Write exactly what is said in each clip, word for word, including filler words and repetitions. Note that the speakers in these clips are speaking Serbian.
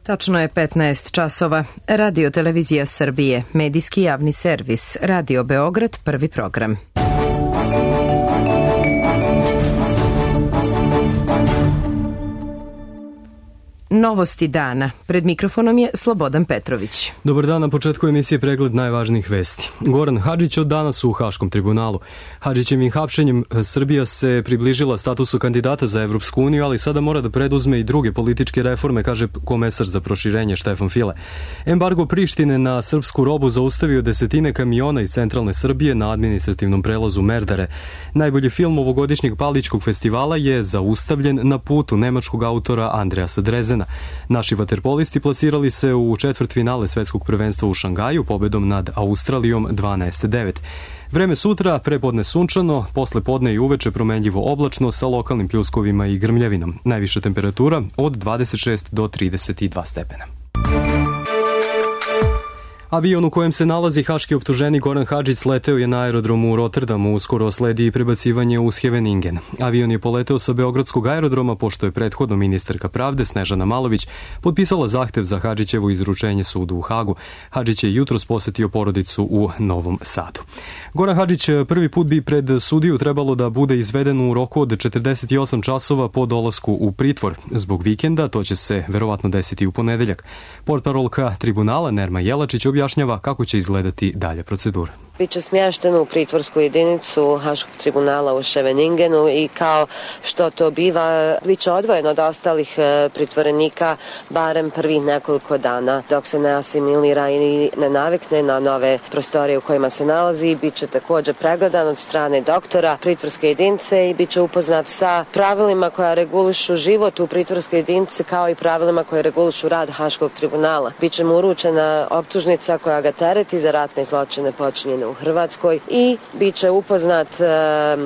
Tačno je petnaest časova. Radio Televizija Srbije, medijski javni servis, Radio Beograd, prvi program. Novosti dana. Pred mikrofonom je Slobodan Petrović. Dobar dan, na početku emisije pregled najvažnijih vesti. Goran Hadžić od danas u Haškom tribunalu. Hadžićevim hapšenjem Srbija se približila statusu kandidata za Evropsku uniju, ali sada mora da preduzme i druge političke reforme, kaže komesar za proširenje Štefan File. Embargo Prištine na srpsku robu zaustavio desetine kamiona iz centralne Srbije na administrativnom prelazu Merdare. Najbolji film ovogodišnjeg Paličkog festivala je zaustavljen na putu nemačkog autora Andreasa Drezena. Naši vaterpolisti plasirali se u četvrtfinale svetskog prvenstva u Šangaju pobedom nad Australijom dvanaest devet. Vreme sutra, prepodne sunčano, posle podne i uveče promenljivo oblačno sa lokalnim pljuskovima i grmljavinom. Najviša temperatura od dvadeset šest do trideset dva stepena. Avion u kojem se nalazi haški optuženik Goran Hadžić sleteo je na aerodromu u Rotterdamu, uskoro sledi i prebacivanje u Scheveningen. Avion je poleteo sa Beogradskog aerodroma, pošto je prethodno ministarka pravde Snežana Malović potpisala zahtev za Hadžićevo izručenje sudu u Hagu. Hadžić je jutros posetio porodicu u Novom Sadu. Goran Hadžić prvi put bi pred sudiju trebalo da bude izveden u roku od četrdeset osam časova po dolasku u pritvor. Zbog vikenda to će se verovatno desiti u ponedeljak. Portparolka tribunala Nerma Jelačić objašnjava kako će izgledati dalja procedura. Biće smješten u pritvorsku jedinicu Haškog tribunala u Scheveningenu i kao što to biva, bit će odvojen od ostalih pritvorenika barem prvih nekoliko dana dok se ne asimilira i ne navikne na nove prostorije u kojima se nalazi. Bit će također pregledan od strane doktora pritvorske jedinice i bit će upoznat sa pravilima koja regulišu život u pritvorskoj jedinici kao i pravilima koje regulišu rad Haškog tribunala. Biće mu uručena optužnica koja ga tereti za ratne zločine počinjene u Hrvatskoj i bit će upoznat e,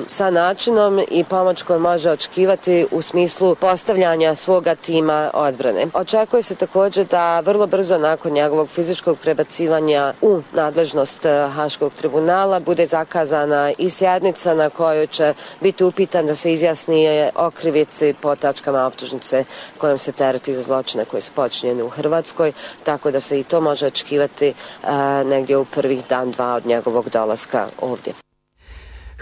sa načinom i pomoć koju može očekivati u smislu postavljanja svoga tima odbrane. Očekuje se također da vrlo brzo nakon njegovog fizičkog prebacivanja u nadležnost Haškog tribunala bude zakazana i sjednica na kojoj će biti upitan da se izjasni o krivici po tačkama optužnice kojom se tereti za zločine koje su počinjene u Hrvatskoj, tako da se i to može očekivati e, negdje u prvih dan, dva od njegovog dolaska ovdje.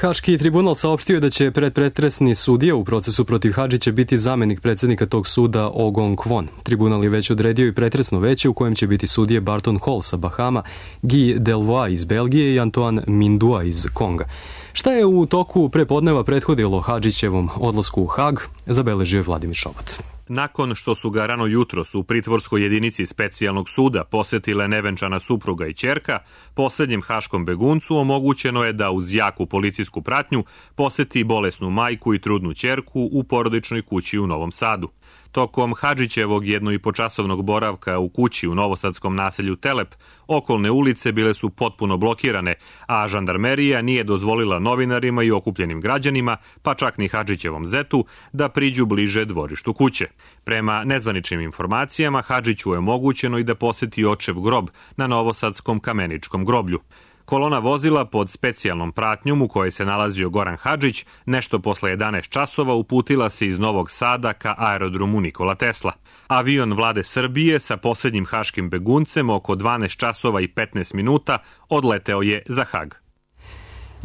Haški tribunal saopštio da će predpretresni sudija u procesu protiv Hadžića biti zamenik predsjednika tog suda Ogong Kwon. Tribunal je već odredio i pretresno veće u kojem će biti sudije Barton Hall sa Bahama, Guy Delvoye iz Belgije i Antoine Mindua iz Konga. Šta je u toku prepodneva prethodilo Hadžićevom odlasku u Hag, zabeležio je Vladimir Šobat. Nakon što su ga rano jutros u pritvorskoj jedinici specijalnog suda posetile nevenčana supruga i ćerka, posljednjem haškom beguncu omogućeno je da uz jaku policijsku pratnju poseti bolesnu majku i trudnu ćerku u porodičnoj kući u Novom Sadu. Tokom Hadžićevog jedno i po časovnog boravka u kući u novosadskom naselju Telep, okolne ulice bile su potpuno blokirane, a žandarmerija nije dozvolila novinarima i okupljenim građanima, pa čak ni Hadžićevom zetu, da priđu bliže dvorištu kuće. Prema nezvaničnim informacijama, Hadžiću je omogućeno i da poseti očev grob na novosadskom Kameničkom groblju. Kolona vozila pod specijalnom pratnjom u kojoj se nalazio Goran Hadžić nešto posle jedanaest časova uputila se iz Novog Sada ka aerodromu Nikola Tesla. Avion vlade Srbije sa posljednjim haškim beguncem oko dvanaest časova i petnaest minuta odleteo je za Hag.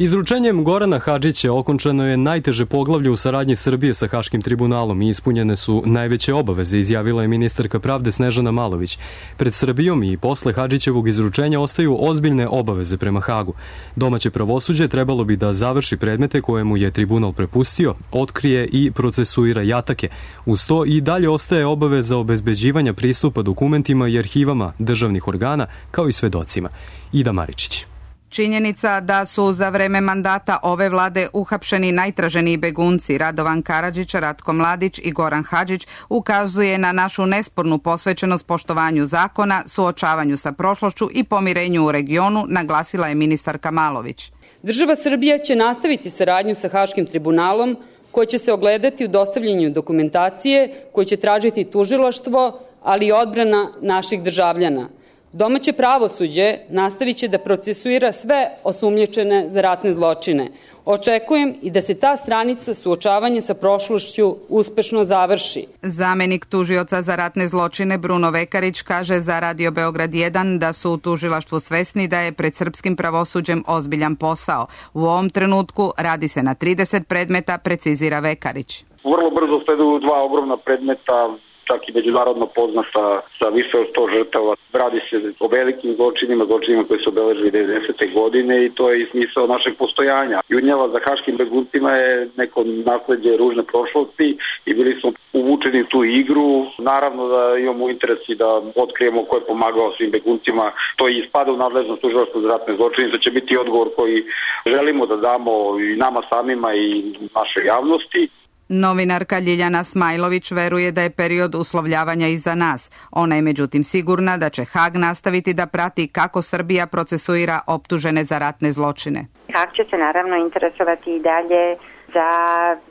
Izručenjem Gorana Hadžića okončano je najteže poglavlje u saradnji Srbije sa Haškim tribunalom i ispunjene su najveće obaveze, izjavila je ministarka pravde Snežana Malović. Pred Srbijom i posle Hadžićevog izručenja ostaju ozbiljne obaveze prema Hagu. Domaće pravosuđe trebalo bi da završi predmete koje mu je tribunal prepustio, otkrije i procesuira jatake. Uz to i dalje ostaje obaveza obezbeđivanja pristupa dokumentima i arhivama državnih organa, kao i svedocima. Ida Maričić. Činjenica da su za vreme mandata ove vlade uhapšeni najtraženiji begunci Radovan Karadžić, Ratko Mladić i Goran Hadžić ukazuje na našu nespornu posvećenost poštovanju zakona, suočavanju sa prošlošću i pomirenju u regionu, naglasila je ministarka Malović. Država Srbija će nastaviti saradnju sa Haškim tribunalom, koji će se ogledati u dostavljanju dokumentacije, koji će tražiti tužilaštvo, ali i odbrana naših državljana. Domaće pravosuđe nastavit će da procesuira sve osumnjičene za ratne zločine. Očekujem i da se ta stranica suočavanja sa prošlošću uspešno završi. Zamenik tužioca za ratne zločine Bruno Vekarić kaže za Radio Beograd jedan da su u tužilaštvu svesni da je pred srpskim pravosuđem ozbiljan posao. U ovom trenutku radi se na trideset predmeta, precizira Vekarić. Vrlo brzo sleduju dva ogromna predmeta, čak i međunarodno poznata sa više od sto žrtava. Radi se o velikim zločinima, zločinima koji su obeležili devedesete godine i to je i smisao našeg postojanja. Jurnjava za haškim beguncima je neko nasleđe ružne prošlosti i bili smo uvučeni u tu igru. Naravno da imamo interes i da otkrijemo ko je pomagao svim beguncima. To i spada u nadležnost tužilaštva za ratne zločine. To će biti odgovor koji želimo da damo i nama samima i našoj javnosti. Novinarka Ljiljana Smajlović veruje da je period uslovljavanja iza nas. Ona je međutim sigurna da će Hag nastaviti da prati kako Srbija procesuira optužene za ratne zločine. Hag će se naravno interesovati i dalje za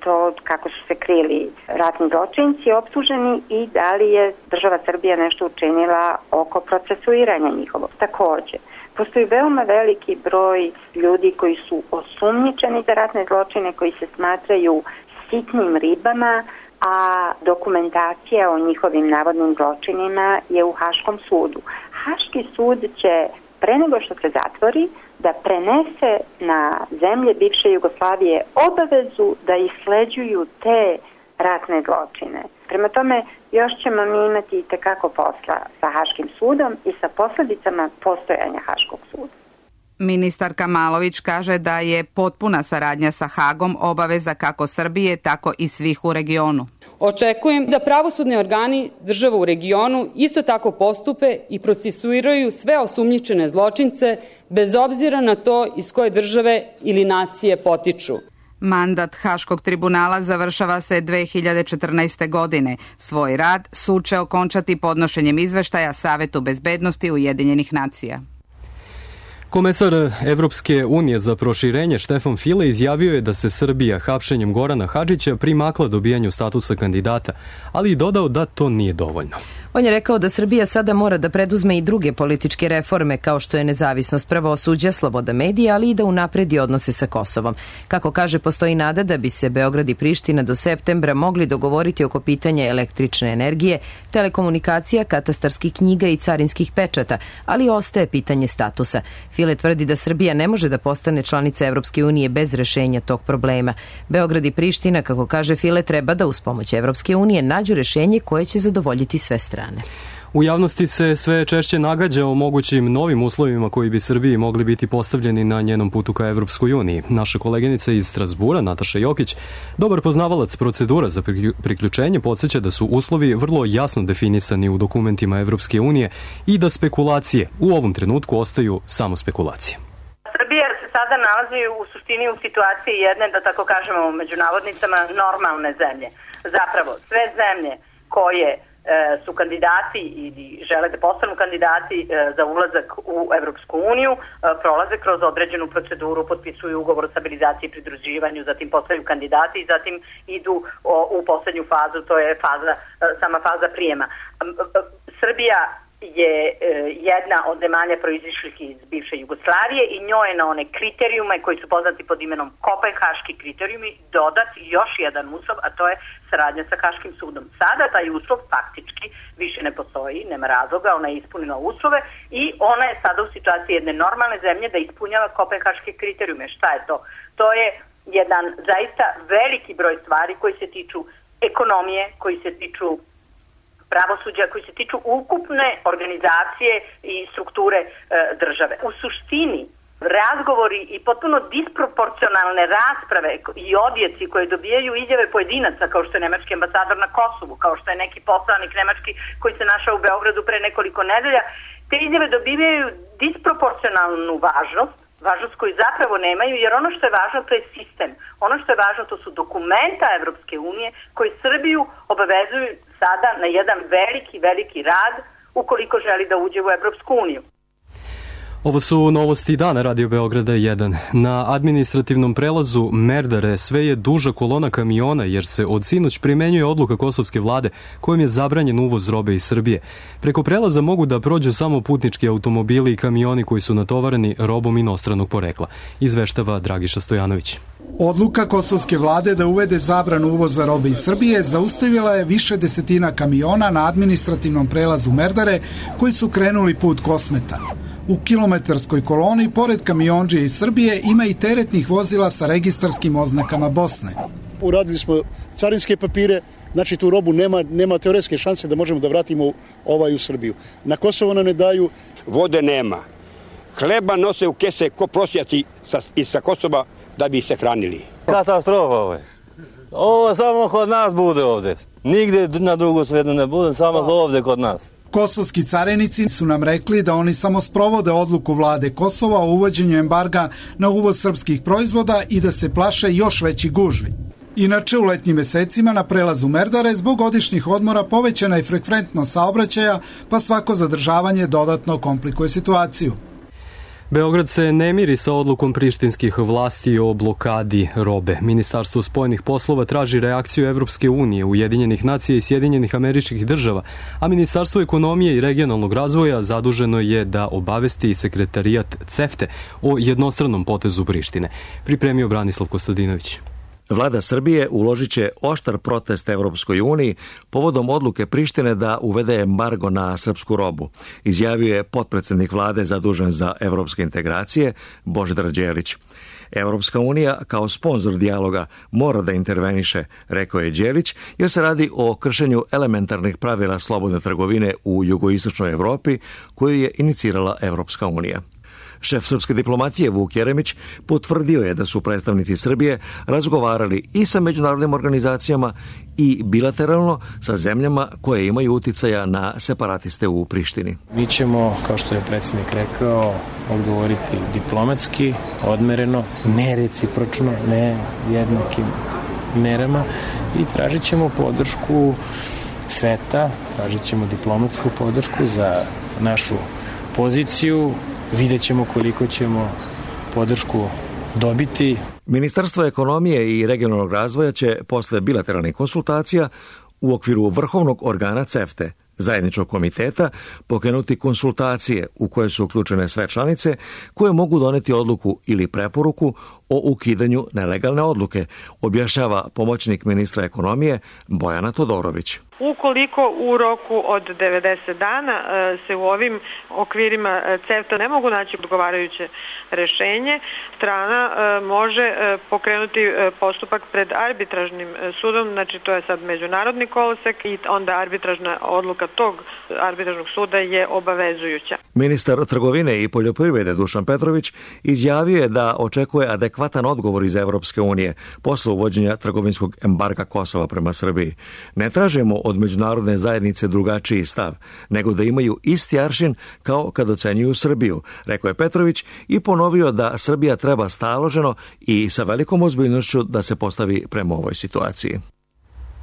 to kako su se krili ratni zločinci optuženi i da li je država Srbija nešto učinila oko procesuiranja njihovog. Takođe, postoji veoma veliki broj ljudi koji su osumnjičeni za ratne zločine, koji se smatraju sitnim ribama, a dokumentacija o njihovim navodnim zločinima je u Haškom sudu. Haški sud će, pre nego što se zatvori, da prenese na zemlje bivše Jugoslavije obavezu da isleđuju te ratne zločine. Prema tome, još ćemo mi imati itekako posla sa Haškim sudom i sa posledicama postojanja Haškog suda. Ministarka Malović kaže da je potpuna saradnja sa Hagom obaveza kako Srbije, tako i svih u regionu. Očekujem da pravosudni organi država u regionu isto tako postupe i procesuiraju sve osumnjičene zločince bez obzira na to iz koje države ili nacije potiču. Mandat Haškog tribunala završava se dve hiljade četrnaeste. godine. Svoj rad sud će okončati podnošenjem izveštaja Savetu bezbednosti Ujedinjenih nacija. Komesar Evropske unije za proširenje Štefan File izjavio je da se Srbija hapšenjem Gorana Hadžića primakla dobijanju statusa kandidata, ali i dodao da to nije dovoljno. On je rekao da Srbija sada mora da preduzme i druge političke reforme kao što je nezavisnost pravosuđa, sloboda medija, ali i da unapredi odnose sa Kosovom. Kako kaže, postoji nada da bi se Beograd i Priština do septembra mogli dogovoriti oko pitanja električne energije, telekomunikacija, katastarskih knjiga i carinskih pečata, ali ostaje pitanje statusa. File tvrdi da Srbija ne može da postane članica Evropske unije bez rešenja tog problema. Beograd i Priština, kako kaže File, treba da uz pomoć Evropske unije nađu rešenje koje će zadovoljiti sve strane. U javnosti se sve češće nagađa o mogućim novim uslovima koji bi Srbiji mogli biti postavljeni na njenom putu ka Evropskoj uniji. Naša koleginica iz Strasbura, Nataša Jokić, dobar poznavalac procedura za priključenje, podsjeća da su uslovi vrlo jasno definisani u dokumentima Evropske unije i da spekulacije u ovom trenutku ostaju samo spekulacije. Srbija se sada nalazi u suštini u situaciji jedne, da tako kažemo u međunavodnicama, normalne zemlje. Zapravo, sve zemlje koje su kandidati ili žele da postanu kandidati za ulazak u Evropsku uniju, prolaze kroz određenu proceduru, potpisuju ugovor o stabilizaciji i pridruživanju, zatim postaju kandidati i zatim idu u poslednju fazu, to je faza, sama faza prijema. Srbija je jedna od zemalja proizišlih iz bivše Jugoslavije i njoj je na one kriterijume koji su poznati pod imenom Kopenhaški kriterijumi dodat još jedan uslov, a to je saradnja sa Haškim sudom. Sada taj uslov faktički više ne postoji, nema razloga, ona je ispunila uslove i ona je sada u situaciji jedne normalne zemlje da ispunjava Kopenhaške kriterijume. Šta je to? To je jedan zaista veliki broj stvari koji se tiču ekonomije, koji se tiču pravosuđa, koji se tiču ukupne organizacije i strukture e, države. U suštini, razgovori i potpuno disproporcionalne rasprave i odjeci koje dobijaju izjave pojedinaca, kao što je nemački ambasador na Kosovu, kao što je neki poslanik nemački koji se našao u Beogradu pre nekoliko nedelja, te izjave dobijaju disproporcionalnu važnost, važnost koju zapravo nemaju, jer ono što je važno to je sistem. Ono što je važno to su dokumenta Evropske unije koji Srbiju obavezuju sada na jedan veliki, veliki rad ukoliko želi da uđe u Evropsku uniju. Ovo su novosti dana Radio Beograda jedan. Na administrativnom prelazu Merdare sve je duža kolona kamiona jer se od sinoć primenjuje odluka kosovske vlade kojom je zabranjen uvoz robe iz Srbije. Preko prelaza mogu da prođu samo putnički automobili i kamioni koji su natovareni robom inostranog porekla, izveštava Dragiša Stojanović. Odluka kosovske vlade da uvede zabranu uvoza robe iz Srbije zaustavila je više desetina kamiona na administrativnom prelazu Merdare koji su krenuli put Kosmeta. U kilometarskoj koloni, pored kamionđije iz Srbije, ima i teretnih vozila sa registarskim oznakama Bosne. Uradili smo carinske papire, znači tu robu nema, nema teoretske šanse da možemo da vratimo ovaj u Srbiju. Na Kosovo nam ne daju. Vode nema. Hleba nose u kese ko prosjaci sa, iz sa Kosova da bi se hranili. Katastrofa ovo je. Ovo samo kod nas bude ovde. Nigde na drugu svetu ne bude, samo ovde kod nas. Kosovski carinici su nam rekli da oni samo sprovode odluku vlade Kosova o uvođenju embarga na uvoz srpskih proizvoda i da se plaše još veći gužvi. Inače, u letnjim mesecima na prelazu Merdare zbog godišnjih odmora povećana je frekventnost saobraćaja, pa svako zadržavanje dodatno komplikuje situaciju. Beograd se ne miri sa odlukom prištinskih vlasti o blokadi robe. Ministarstvo spoljnih poslova traži reakciju Evropske unije, Ujedinjenih nacija i Sjedinjenih Američkih država, a Ministarstvo ekonomije i regionalnog razvoja zaduženo je da obavesti sekretarijat CEFTE o jednostranom potezu Prištine. Pripremio Branislav Kostadinović. Vlada Srbije uložit će oštar protest Evropskoj uniji povodom odluke Prištine da uvede embargo na srpsku robu, izjavio je potpredsednik vlade zadužen za evropske integracije Božidar Đelić. Evropska unija kao sponzor dijaloga mora da interveniše, rekao je Đelić, jer se radi o kršenju elementarnih pravila slobodne trgovine u jugoistočnoj Evropi koju je inicirala Evropska unija. Šef srpske diplomatije Vuk Jeremić potvrdio je da su predstavnici Srbije razgovarali i sa međunarodnim organizacijama i bilateralno sa zemljama koje imaju uticaja na separatiste u Prištini. Mi ćemo, kao što je predsjednik rekao, odgovoriti diplomatski, odmereno, ne recipročno, ne jednakim merama i tražit ćemo podršku sveta, tražit ćemo diplomatsku podršku za našu poziciju. Vidjet ćemo koliko ćemo podršku dobiti. Ministarstvo ekonomije i regionalnog razvoja će posle bilateralnih konsultacija u okviru vrhovnog organa CEFTE, zajedničkog komiteta, pokrenuti konsultacije u koje su uključene sve članice koje mogu doneti odluku ili preporuku o ukidanju nelegalne odluke, objašnjava pomoćnik ministra ekonomije Bojana Todorović. Ukoliko u roku od devedeset dana se u ovim okvirima CEFTA ne mogu naći odgovarajuće rešenje, strana može pokrenuti postupak pred arbitražnim sudom, znači to je sad međunarodni kolosek i onda arbitražna odluka tog arbitražnog suda je obavezujuća. Ministar trgovine i poljoprivrede Dušan Petrović izjavio je da očekuje adekvatan odgovor iz Evropske unije posle uvođenja trgovinskog embarga Kosova prema Srbiji. Ne tražimo od međunarodne zajednice drugačiji stav, nego da imaju isti aršin kao kad ocenjuju Srbiju, rekao je Petrović i ponovio da Srbija treba staloženo i sa velikom ozbiljnošću da se postavi prema ovoj situaciji.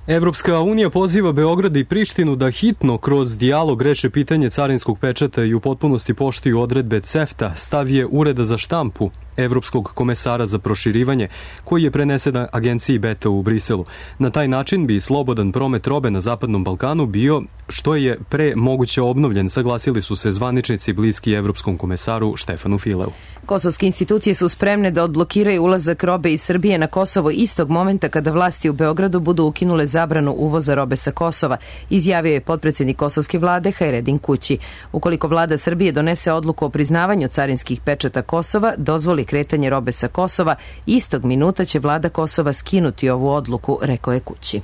Evropska unija poziva Beograd i Prištinu da hitno kroz dijalog reše pitanje carinskog pečata i u potpunosti poštuju odredbe CEFTA, stav je Ureda za štampu Evropskog komesara za proširivanje, koji je prenesen agenciji Beta u Briselu. Na taj način bi slobodan promet robe na Zapadnom Balkanu bio što je pre moguće obnovljen, saglasili su se zvaničnici bliski Evropskom komesaru Štefanu Fileu. Kosovske institucije su spremne da odblokiraju ulazak robe iz Srbije na Kosovo istog momenta kada vlasti u Beogradu budu ukinule zabranu uvoza robe sa Kosova, izjavio je potpredsjednik kosovske vlade Hajredin Kući. Ukoliko vlada Srbije donese odluku o priznavanju carinskih pečata Kosova, dozvoli kretanje robe sa Kosova, istog minuta će vlada Kosova skinuti ovu odluku, rekao je Kući.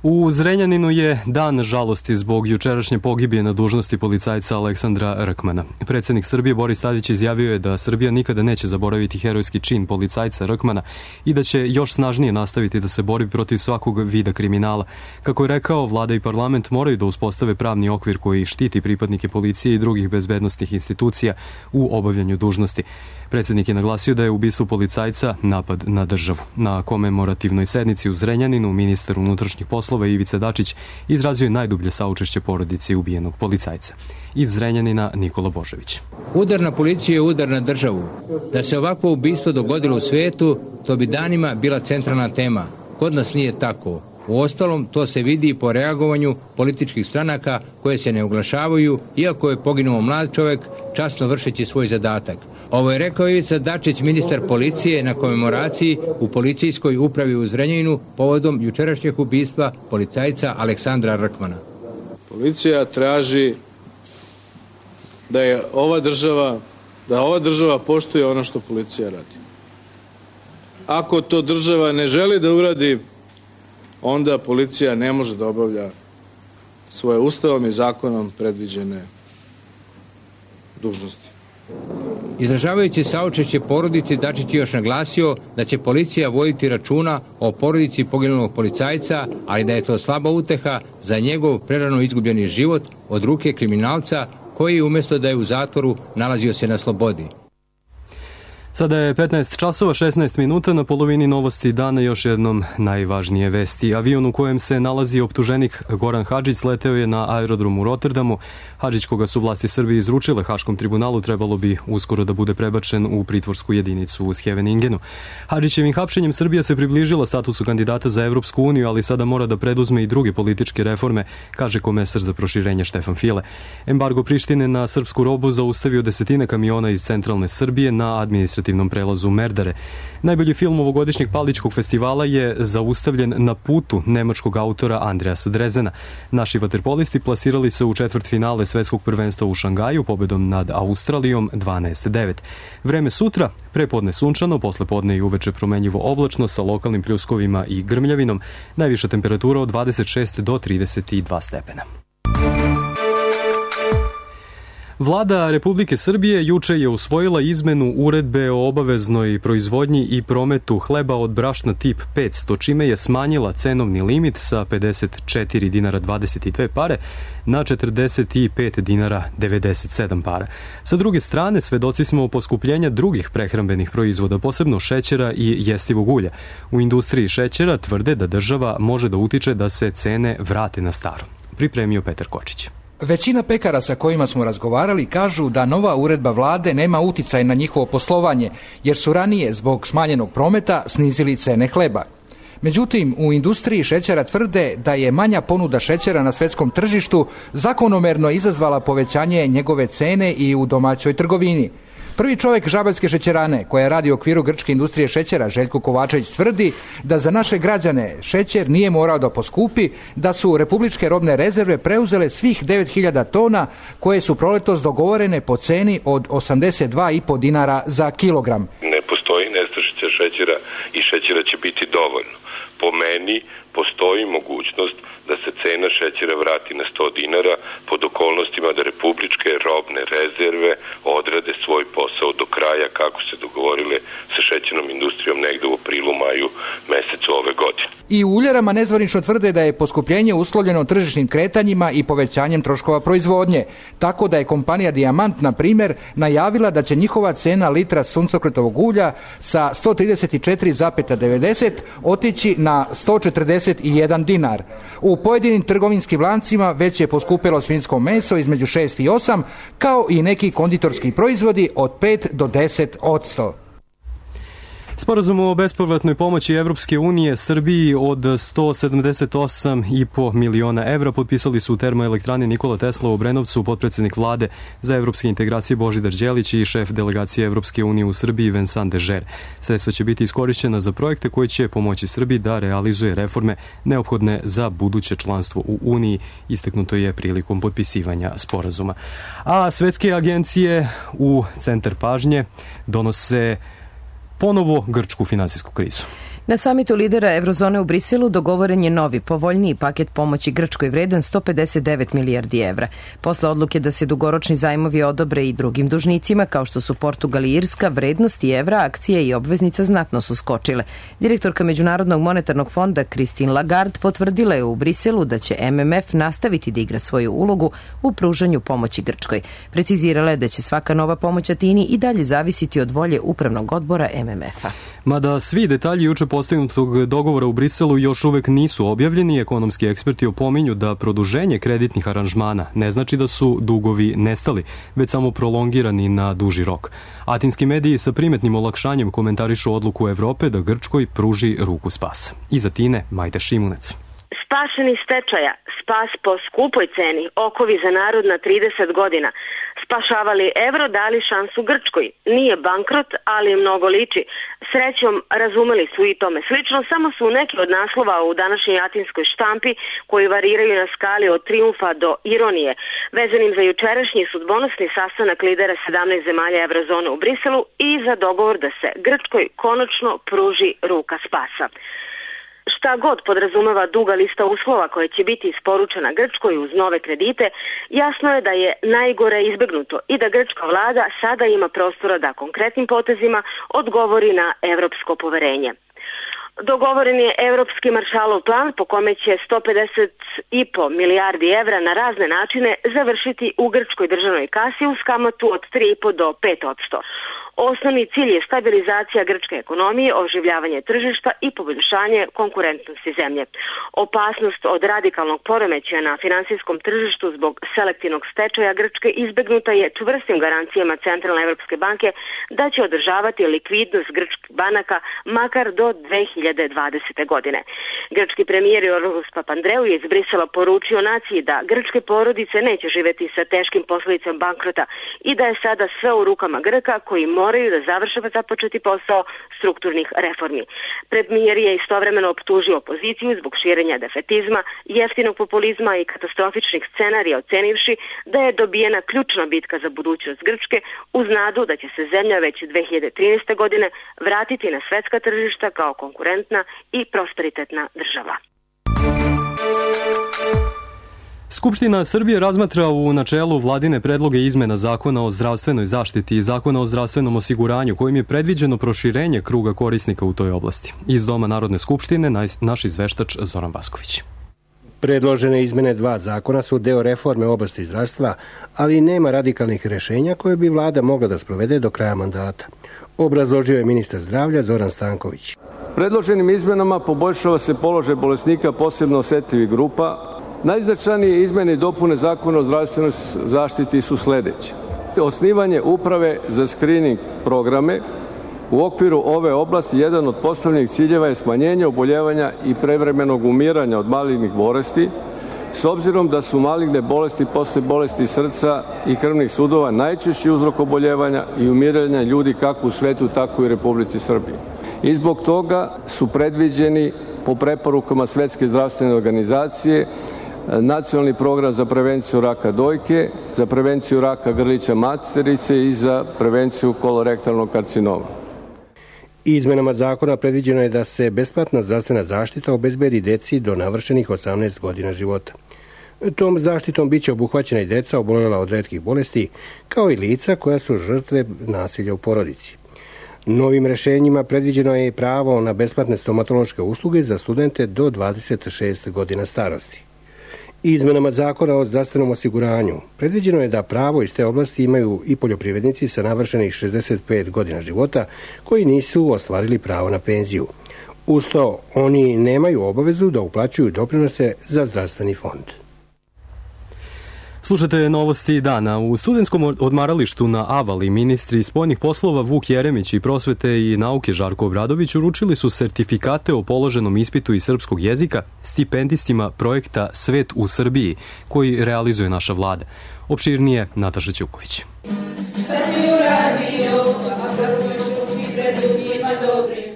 U Zrenjaninu je dan žalosti zbog jučerašnje pogibije na dužnosti policajca Aleksandra Rkmana. Predsjednik Srbije Boris Tadić izjavio je da Srbija nikada neće zaboraviti herojski čin policajca Rkmana i da će još snažnije nastaviti da se bori protiv svakog vida kriminala. Kako je rekao, vlada i parlament moraju da uspostave pravni okvir koji štiti pripadnike policije i drugih bezbednostnih institucija u obavljanju dužnosti. Predsjednik je naglasio da je ubistvo policajca napad na državu. Na komemorativnoj sednici u Zrenjaninu ministar unutrašnjih poslova poslova Ivica Dačić izrazio je najdublje saučešće porodici ubijenog policajca. Iz Zrenjanina Nikola Božević. Udar na policiju je udar na državu. Da se ovakvo ubistvo dogodilo u svijetu, to bi danima bila centralna tema. Kod nas nije tako. Uostalom, to se vidi i po reagovanju političkih stranaka koje se ne oglašavaju, iako je poginuo mlad čovjek časno vršeći svoj zadatak. Ovo je rekao Ivica Dačić, ministar policije, na komemoraciji u policijskoj upravi u Zrenjaninu povodom jučerašnjeg ubistva policajca Aleksandra Rkmana. Policija traži da je ova država, da ova država poštuje ono što policija radi. Ako to država ne želi da uradi, onda policija ne može da obavlja svoje ustavom i zakonom predviđene dužnosti. Izražavajući saučešće porodici, Dačić je još naglasio da će policija voditi računa o porodici poginulog policajca, ali da je to slaba uteha za njegov prerano izgubljeni život od ruke kriminalca koji umjesto da je u zatvoru nalazio se na slobodi. Sada je petnaest časova šesnaest minuta, na polovini novosti dana još jednom najvažnije vesti. Avion u kojem se nalazi optuženik Goran Hadžić sleteo je na aerodromu u Rotterdamu. Hadžić, koga su vlasti Srbije izručile Haškom tribunalu, trebalo bi uskoro da bude prebačen u pritvorsku jedinicu u Scheveningenu. Hadžićevim hapšenjem Srbija se približila statusu kandidata za Evropsku uniju, ali sada mora da preduzme i druge političke reforme, kaže komesar za proširenje Štefan File. Embargo Prištine na srpsku robu zaustavio desetine kamiona iz centralne Srbije na administrativnom prelazu Merdare. Najbolji film ovogodišnjeg Paličkog festivala je zaustavljen Na putu nemačkog autora Andreasa Drezena. Naši vaterpolisti plasirali se u četvrtfinale svetskog prvenstva u Šangaju pobedom nad Australijom dvanaest devet. Vreme sutra, prepodne sunčano, poslepodne i uveče promenjivo oblačno sa lokalnim pljuskovima i grmljavinom. Najviša temperatura od dvadeset šest do trideset dva stepena. Vlada Republike Srbije juče je usvojila izmenu uredbe o obaveznoj proizvodnji i prometu hleba od brašna tip petsto, čime je smanjila cenovni limit sa pedeset četiri dinara dvadeset dve pare na četrdeset pet dinara devedeset sedam para. Sa druge strane, svedoci smo poskupljenja drugih prehrambenih proizvoda, posebno šećera i jestivog ulja. U industriji šećera tvrde da država može da utiče da se cene vrate na staro. Pripremio Petar Kočić. Većina pekara sa kojima smo razgovarali kažu da nova uredba vlade nema uticaj na njihovo poslovanje, jer su ranije zbog smanjenog prometa snizili cene hleba. Međutim, u industriji šećera tvrde da je manja ponuda šećera na svetskom tržištu zakonomerno izazvala povećanje njegove cene i u domaćoj trgovini. Prvi čovjek Žabaljske šećerane, koja radi u okviru grčke industrije šećera, Željko Kovačević, tvrdi da za naše građane šećer nije morao da poskupi, da su republičke robne rezerve preuzele svih devet hiljada tona koje su proletos dogovorene po ceni od osamdeset dva i po dinara za kilogram. Ne postoji nestašica šećera i šećera će biti dovoljno. Po meni postoji mogućnost da se cena šećera vrati na sto dinara pod okolnostima da republičke robne rezerve odrade svoj posao do kraja kako se dogovorile sa šećernom industrijom negde u aprilu, maju mesecu ove godine. I u uljarama nezvanično tvrde da je poskupljenje uslovljeno tržišnim kretanjima i povećanjem troškova proizvodnje, tako da je kompanija Dijamant, na primjer, najavila da će njihova cena litra suncokretovog ulja sa sto trideset četiri zarez devedeset otići na sto četrdeset jedan dinar. U pojedinim trgovinskim lancima već je poskupilo svinjsko meso između šest i osam, kao i neki konditorski proizvodi od pet do deset odsto. Sporazum o bespovratnoj pomoći Evropske unije Srbiji od sto sedamdeset osam i po miliona evra potpisali su u termoelektrani Nikola Tesla u Obrenovcu potpredsednik vlade za evropske integracije Božidar Đelić i šef delegacije Evropske unije u Srbiji Vincent Dežer. Sredstva će biti iskorišćena za projekte koji će pomoći Srbiji da realizuje reforme neophodne za buduće članstvo u Uniji, istaknuto je prilikom potpisivanja sporazuma. A svetske agencije u centar pažnje donose ponovo grčku finansijsku krizu. Na samitu lidera Eurozone u Briselu dogovoren je novi, povoljniji paket pomoći Grčkoj vredan sto pedeset devet milijardi evra. Posle odluke da se dugoročni zajmovi odobre i drugim dužnicima, kao što su Portugal i Irska, vrednosti evra, akcije i obveznica znatno su skočile. Direktorka Međunarodnog monetarnog fonda Christine Lagarde potvrdila je u Briselu da će M M F nastaviti da igra svoju ulogu u pružanju pomoći Grčkoj. Precizirala je da će svaka nova pomoć Atini i dalje zavisiti od volje upravnog odbora M M F-a. Mada svi detalji juče postignutog dogovora u Briselu još uvek nisu objavljeni, ekonomski eksperti opominju da produženje kreditnih aranžmana ne znači da su dugovi nestali, već samo prolongirani na duži rok. Atinski mediji sa primetnim olakšanjem komentarišu odluku Evrope da Grčkoj pruži ruku spasa. Iz Atine, Majda Šimunec. Spašeni stečaja, spas po skupoj ceni, okovi za narod na trideset godina. Spašavali evro, dali šansu Grčkoj. Nije bankrot, ali mnogo liči. Srećom, razumeli su i tome slično, samo su neki od naslova u današnjoj atinskoj štampi koji variraju na skali od trijumfa do ironije, vezanim za jučerašnji sudbonosni sastanak lidera sedamnaest zemalja evrozone u Briselu i za dogovor da se Grčkoj konačno pruži ruka spasa. Šta god podrazumeva duga lista uslova koja će biti isporučena Grčkoj uz nove kredite, jasno je da je najgore izbegnuto i da grčka vlada sada ima prostora da konkretnim potezima odgovori na evropsko poverenje. Dogovoren je Evropski Maršalov plan po kome će sto pedeset i po milijardi evra na razne načine završiti u grčkoj državnoj kasi uz kamatu od tri i po do pet posto. Osnovni cilj je stabilizacija grčke ekonomije, oživljavanje tržišta i poboljšanje konkurentnosti zemlje. Opasnost od radikalnog poremećaja na finansijskom tržištu zbog selektivnog stečaja Grčke izbegnuta je čvrstim garancijama Centralne Evropske banke da će održavati likvidnost grčkih banaka makar do dve hiljade dvadesete. godine. Grčki premijer Jorgos Papandreou je iz Brisela poručio naciji da grčke porodice neće živeti sa teškim posljedicama bankrota i da je sada sve u rukama Grka koji moraju da završe započeti posao strukturnih reformi. Premijer je istovremeno optužio opoziciju zbog širenja defetizma, jeftinog populizma i katastrofičnih scenarija, ocenivši da je dobijena ključna bitka za budućnost Grčke uz nadu da će se zemlja već dve hiljade trinaeste. godine vratiti na svetska tržišta kao konkurentna i prosperitetna država. Skupština Srbije razmatra u načelu vladine predloge izmena Zakona o zdravstvenoj zaštiti i Zakona o zdravstvenom osiguranju, kojim je predviđeno proširenje kruga korisnika u toj oblasti. Iz Doma Narodne skupštine naš izveštač Zoran Vasković. Predložene izmene dva zakona su deo reforme u oblasti zdravstva, ali nema radikalnih rešenja koje bi vlada mogla da sprovede do kraja mandata. Obrazložio je ministar zdravlja Zoran Stanković. Predloženim izmenama poboljšava se položaj bolesnika posebno osetljivih grupa. Najznačajnije izmene i dopune Zakona o zdravstvenoj zaštiti su sledeće. Osnivanje uprave za skrining programe. U okviru ove oblasti jedan od postavljenih ciljeva je smanjenje oboljevanja i prevremenog umiranja od malignih bolesti, s obzirom da su maligne bolesti posle bolesti srca i krvnih sudova najčešći uzrok oboljevanja i umiranja ljudi kako u svetu, tako i u Republici Srbiji. I zbog toga su predviđeni po preporukama Svetske zdravstvene organizacije Nacionalni program za prevenciju raka dojke, za prevenciju raka grlića materice i za prevenciju kolorektalnog karcinoma. Izmenama zakona predviđeno je da se besplatna zdravstvena zaštita obezbedi deci do navršenih osamnaest godina života. Tom zaštitom biće obuhvaćena i deca oboljela od retkih bolesti, kao i lica koja su žrtve nasilja u porodici. Novim rešenjima predviđeno je i pravo na besplatne stomatološke usluge za studente do dvadeset šest godina starosti. Izmenama zakona o zdravstvenom osiguranju predviđeno je da pravo iz te oblasti imaju i poljoprivrednici sa navršenih šezdeset pet godina života koji nisu ostvarili pravo na penziju. Uz to, oni nemaju obavezu da uplaćuju doprinose za zdravstveni fond. Slušate novosti dana. U studentskom odmaralištu na Avali ministri spoljnih poslova Vuk Jeremić i prosvete i nauke Žarko Obradović uručili su sertifikate o položenom ispitu iz srpskog jezika stipendistima projekta Svet u Srbiji, koji realizuje naša vlada. Opširnije Nataša Ćuković.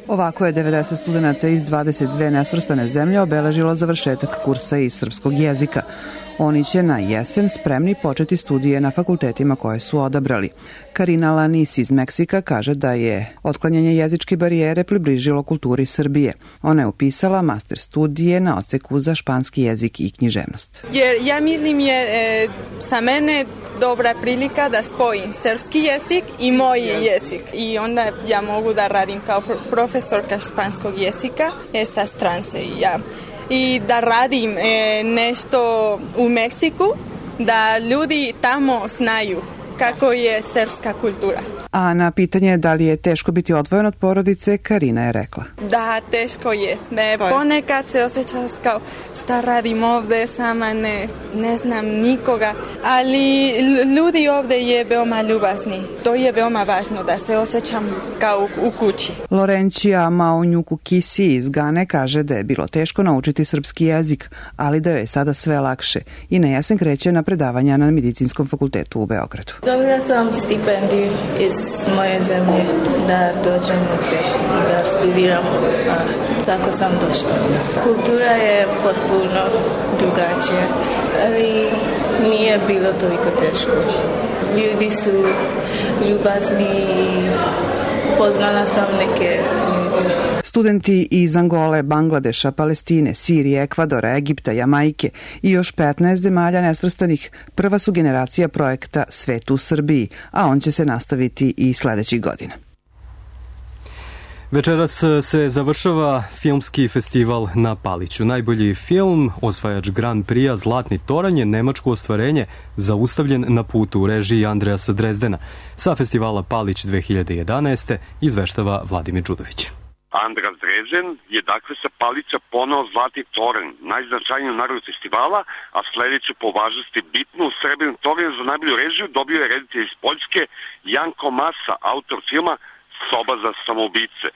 Ovako je devedeset studenata iz dvadeset dve nesvrstane zemlje obeležilo završetak kursa iz srpskog jezika. Oni će na jesen spremni početi studije na fakultetima koje su odabrali. Karina Lanis iz Meksika kaže da je otklanjanje jezičke barijere približilo kulturi Srbije. Ona je upisala master studije na odseku za španski jezik i književnost. Jer ja mislim je e, sa mene dobra prilika da spojim srpski jezik i moj jezik. I onda ja mogu da radim kao profesorka španskog jezika e, sa strance i ja. I da radim e, nešto u Meksiku, da ljudi tamo znaju kako je srpska kultura. A na pitanje da li je teško biti odvojen od porodice, Karina je rekla. Da, teško je. Ne, ponekad se osjećam kao šta radim ovde, sama ne, ne znam nikoga, ali ljudi ovde je veoma ljubazni. To je veoma važno da se osjećam kao u kući. Lorencija Maonjuku Kisi iz Gane kaže da je bilo teško naučiti srpski jezik, ali da joj je sada sve lakše i na jesen kreće na predavanja na Medicinskom fakultetu u Beogradu. Dobila sam stipendiju iz moje zemlje da dođem ovdje i da studiram, a tako sam došla. Kultura je potpuno drugačija, ali nije bilo toliko teško. Ljudi su ljubazni i poznala sam neke ljudi. Studenti iz Angole, Bangladeša, Palestine, Sirije, Ekvadora, Egipta, Jamajke i još petnaest zemalja nesvrstanih prva su generacija projekta Svet u Srbiji, a on će se nastaviti i sledećih godina. Večeras se završava filmski festival na Paliću. Najbolji film, osvajač Grand Prix-a Zlatni toranj je nemačko ostvarenje, zaustavljen na putu u režiji Andreasa Drezdena. Sa festivala Palić dve hiljade jedanaeste izveštava Vladimir Đudović. Andras Drezden je dakle sa Palića ponao Zlatni toranj, najznačajniju nagradu festivala, a sledeću po važnosti bitnu srebrni toranj za najbolju režiju dobio je reditelj iz Poljske Janko Masa, autor filma Soba za samoubice.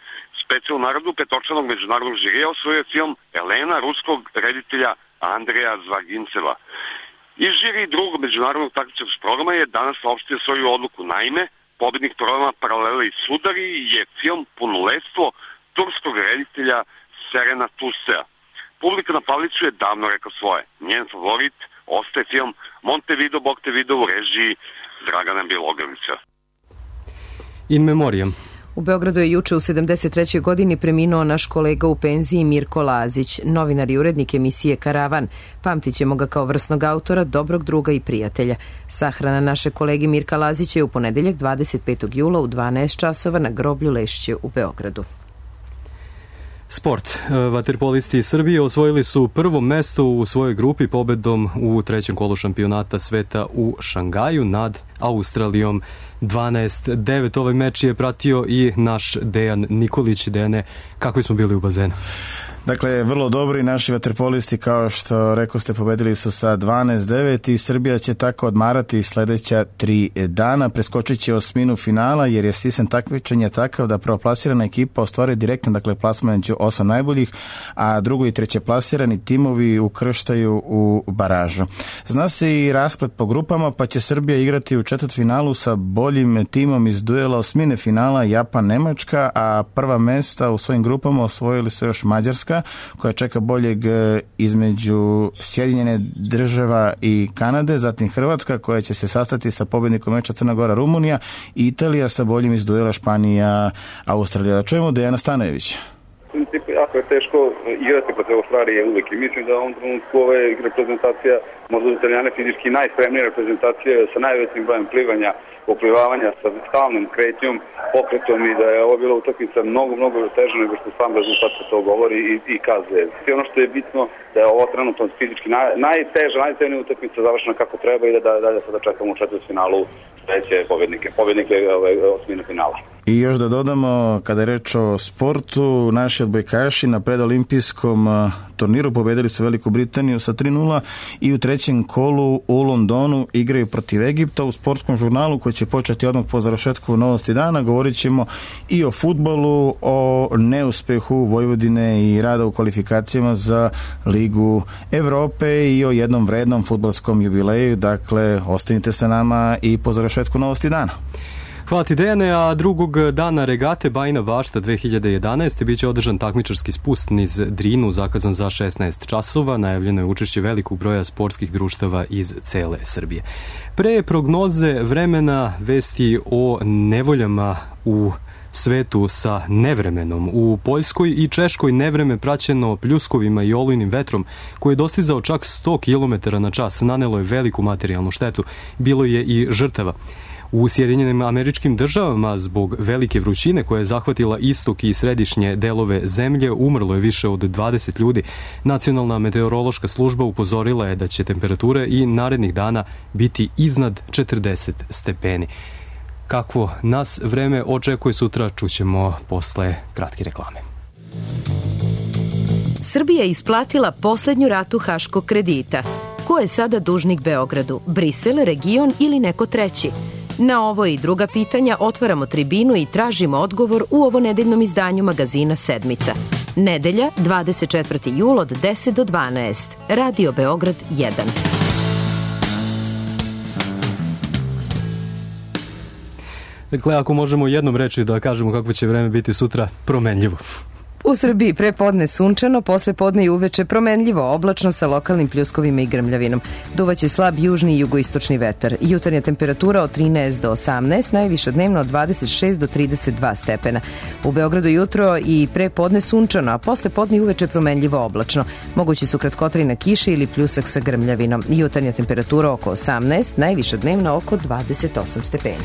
Specijalnu nagradu petočlanog međunarodnog žirija osvojio film Elena ruskog reditelja Andreja Zvaginceva. Iz žiri drugog međunarodnog takmičarskog programa je danas saopštio svoju odluku. Naime, pobednik programa Paralele i sudari je film Punoletstvo turskog reditelja Serena Tusea. Publika na Paliću je davno rekla svoje. Njen favorit ostaje film Montevideo Bogtevideo u režiji Dragana Bjelogrlića. In memoriam. U Beogradu je juče u sedamdeset trećoj godini preminuo naš kolega u penziji Mirko Lazić, novinar i urednik emisije Karavan. Pamtit ćemo ga kao vrsnog autora, dobrog druga i prijatelja. Sahrana naše kolege Mirka Lazića je u ponedeljak dvadeset petog jula u dvanaest časova na groblju Lešće u Beogradu. Sport. Vaterpolisti Srbije osvojili su prvo mesto u svojoj grupi pobedom u trećem kolu šampionata sveta u Šangaju nad Australijom dvanaest devet. Ovaj meč je pratio i naš Dejan Nikolić. Dejane, kako smo bili u bazenu? Dakle, vrlo dobri naši vaterpolisti, kao što rekao ste, pobedili su sa dvanaest devet i Srbija će tako odmarati sledeća tri dana. Preskočit će osminu finala jer je sistem takmičenja takav da prvoplasirana ekipa ostvari direktno, dakle, plasman među osam najboljih, a drugo i treće plasirani timovi ukrštaju u baražu. Zna se i rasplet po grupama, pa će Srbija igrati u četvrtfinalu sa boljim timom iz duela osmine finala Japan-Nemačka, a prva mesta u svojim grupama osvojili su još Mađarska, koja čeka boljeg između Sjedinjene država i Kanade, zatim Hrvatska koja će se sastati sa pobednikom meča Crna Gora Rumunija i Italija sa boljim iz duela Španija Australija. Da čujemo Dejana Stanojevića. U principu jako je teško igrati protiv Australije uvijek i mislim da u ovom trenutku ove reprezentacija, možda za Italijane fizički najspremnija reprezentacija sa najvećim brojem plivanja, oplivavanja, sa stalnom kretnjom, pokretom i da je ovo bila utakmica mnogo, mnogo teža nego što sam rezultat to govori i, i kazuje. I ono što je bitno da je ovo trenutno fizički naj, najteža, najtežnija utakmica završena kako treba i da dalje sada čekamo u četvrtfinalu sledeće pobednike, pobednike ove osmine finala. I još da dodamo, kada je reč o sportu, naši odbojkaši na predolimpijskom turniru pobedili su Veliku Britaniju sa tri nula i u trećem kolu u Londonu igraju protiv Egipta. U sportskom žurnalu koji će početi odmah po završetku Novosti dana govorit ćemo i o fudbalu, o neuspehu Vojvodine i rada u kvalifikacijama za Ligu Evrope i o jednom vrednom fudbalskom jubileju. Dakle, ostanite sa nama i po završetku Novosti dana. Hvala ti, Dejane, a drugog dana regate Bajina Bašta dve hiljade jedanaeste biće održan takmičarski spust niz Drinu, zakazan za šesnaest časova. Najavljeno je učešće velikog broja sportskih društava iz cele Srbije. Pre prognoze vremena vesti o nevoljama u svetu sa nevremenom. U Poljskoj i Češkoj nevreme praćeno pljuskovima i olujnim vetrom koji je dostizao čak sto kilometara na čas nanelo je veliku materijalnu štetu. Bilo je i žrtava. U Sjedinjenim Američkim Državama zbog velike vrućine koja je zahvatila istok i središnje delove zemlje umrlo je više od dvadeset ljudi. Nacionalna meteorološka služba upozorila je da će temperature i narednih dana biti iznad četrdeset stepeni. Kakvo nas vreme očekuje sutra, čućemo posle kratke reklame. Srbija je isplatila poslednju ratu haškog kredita. Ko je sada dužnik Beogradu? Brisel, region ili neko treći? Na ovo i druga pitanja otvaramo tribinu i tražimo odgovor u ovonedeljnom izdanju magazina Sedmica. Nedelja, dvadeset četvrti jul od deset do dvanaest. Radio Beograd jedan. Dakle, ako možemo jednom reći da kažemo kako će vreme biti sutra, promenljivo. U Srbiji pre podne sunčano, posle podne i uveče promenljivo, oblačno sa lokalnim pljuskovima i grmljavinom. Duvaće slab južni i jugoistočni vetar. Jutarnja temperatura od trinaest do osamnaest, najviša dnevno od dvadeset šest do trideset dva stepena. U Beogradu jutro i pre podne sunčano, a posle podne i uveče promenljivo oblačno. Mogući su kratkotrajna kiša ili pljusak sa grmljavinom. Jutarnja temperatura oko osamnaest, najviša dnevno oko dvadeset osam stepeni.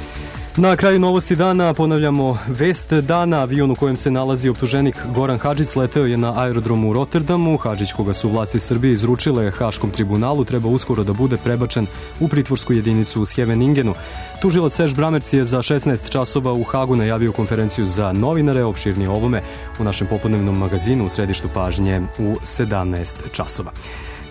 Na kraju novosti dana ponavljamo vest dana. Avion u kojem se nalazi optuženik Goran Hadžić leteo je na aerodromu u Rotterdamu. Hadžić, koga su vlasti Srbije izručile Haškom tribunalu, treba uskoro da bude prebačen u pritvorsku jedinicu u Scheveningenu. Tužilac Serž Bramerc je za šesnaest časova u Hagu najavio konferenciju za novinare, opširnije ovome u našem popodnevnom magazinu u središtu pažnje u sedamnaest časova.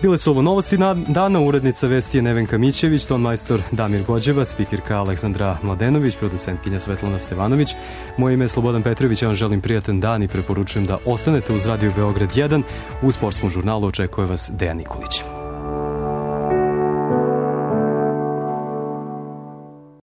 Bile su ovo novosti dana, urednica vesti je Nevenka Mićević, tonmajstor Damir Gođevac, spikirka Aleksandra Mladenović, producentkinja Svetlana Stevanović. Moje ime je Slobodan Petrović, ja vam želim prijatan dan i preporučujem da ostanete uz Radio Beograd jedan. U sportskom žurnalu očekuje vas Dejan Nikolić.